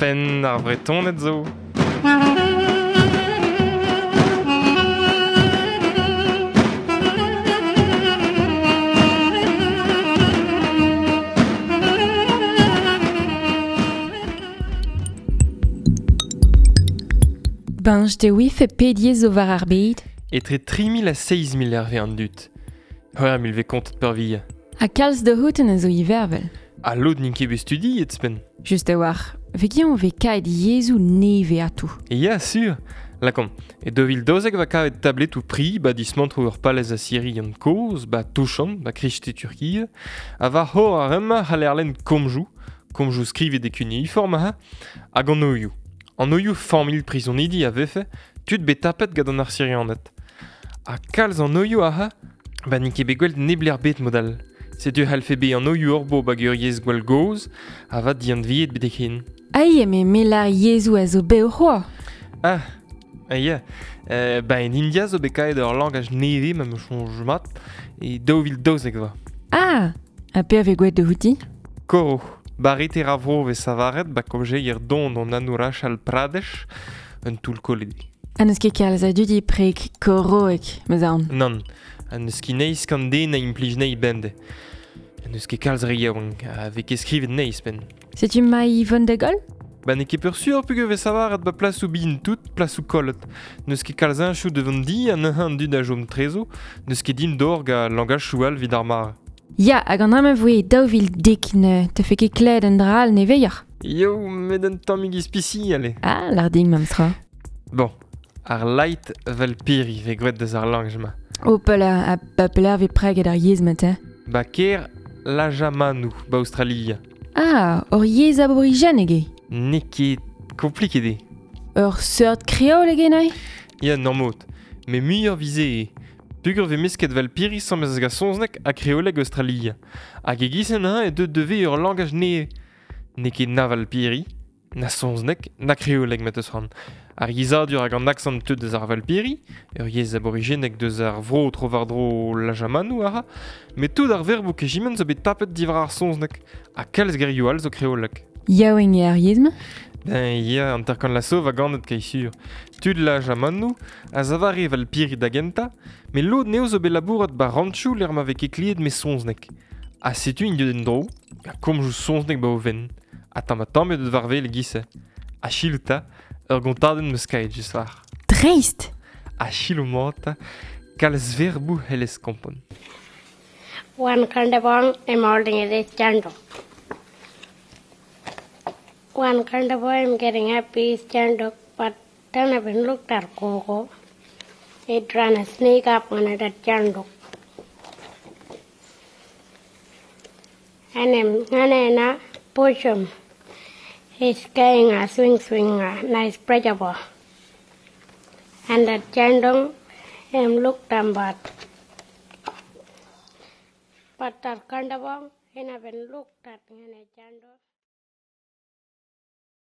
Penn ar Vretoned zo. Bañj te ouife pet yezh zo war ar bed? Etre 3000 ha 7000 hervez an dud. 6000 vez kontet peurvuiañ. Ha kalz da c'houtenn a zo ivervel. Ha lod n'int ket bet studiet ouzhpenn. Just a-walc'h, vez vez kaet yezhoù nevez ato. Ya, sur. Lakaomp, e 2012 va kavet tabletoù pri ba dismantroù ur palez asirian kozh, ba Touchan, ba kreisteiz Turkia, ha war c'horr ar re-mañ c'haller lenn komzoù, komzoù skrivet e cuneiform ha, hag anoioù. Anoioù familh prizonidi a vefe tud bet tapet gant an Asirianed. Ha kalz anoioù aze, ba n'int ket bet gwel't neblec'h bet mod all. Setu c'hallfe bezañ anoioù hor bo hag ur yezh gwall gozh, avat dianveet betek-hen. Ai, eme mel ar yezhoù a zo bev c'hoazh. Ah, ah ya. Ba en India zo bet kaet ur langaj nevez ma 'm eus soñj mat, e 2012 va. Ah, ha peoc'h vez gwelet outi? Koro, barreter a vro vez savaret ba komjeier don an Arunachal Pradesh, un toull kollet eo. Ha n'eus ket kalz a dud e preg koroek, 'm eus aon. Nann, ha n'eus ket neizh gant den a implij anezhi bemdez. N'eus ket kalz re yaouank a vez ket skrivet anezhi ouzhpenn. Setu ma Yvonne de Gaulle? Ba n'eo ket peursur peogwir vez savaret ba plasoù bihan tout, plasoù kollet. N'eus ket kalz heñchoù da vont di ha neuze an dud a chom trezo. N'eus ket din d'ober gant langachioù all evit ar mare. Ya, hag an dra-mañ voe 2010 ne tefe ket klevet un dra all nevezoc'h. Yo, met un tammig ispisial eo. Ah, lar din memestra. Bon, ar light Valpiri vez graet deus ar langaj-mañ. Hopala, ha ba pelec'h vez preget ar yezh-mañ te? Ba kêr Lajamanu, ba Aostralia. Ah, ur yezh aborijeneg eo. N'eo ket kompliket eo. Ur seurt kreoleg eo neuze? Ya, normod. Met muioc'h 'vize eo. Peogwir vez mesket Valpiri sañset gant saozneg ha kreoleg Aostralia. Hag e-giz-se neuze e deu da vezañ ur langaj nevez. N'eo ket na Valpiri, na saozneg, na kreoleg ma 'teus c'hoant. Ar yezhadur hag an aksant teu deus ar Valpiri, ur yezh aborijenek deus ar vro tro-war-dro Lajamanu a ra, met tout ar verboù kejiment zo bet tapet diwar ar saozneg, ha kalz gerioù all zo kreoleg. Yaouank eo ar yezh-mañ? Ben ya, hanter-kant laso va ganet kai sur. Tud Lajamanu a zavare Valpiri da gentañ, met lod anezho zo bet labourat ba ranchoù lec'h ma vez ket klevet met saozneg. Ha setu int deuet en-dro, ha komzoù saozneg ba o fenn. Ha tamm-ha-tamm eo deut war-wel e-giz-se. Ha selaou 'ta, ur gontadenn 'm eus kaet just war. Dreist! Ha selaou mat 'ta, kalz verboù c'hellez kompren. One kind of one, I'm holding it is chandok. One kind of I'm getting happy is chandok, but then I've been looked at Gogo. It trying to sneak up on it at chandok. And I'm push him. He's getting a swing swing a nice pressure ball. And the chandong him looked bad. But that kind of one, he never looked at me and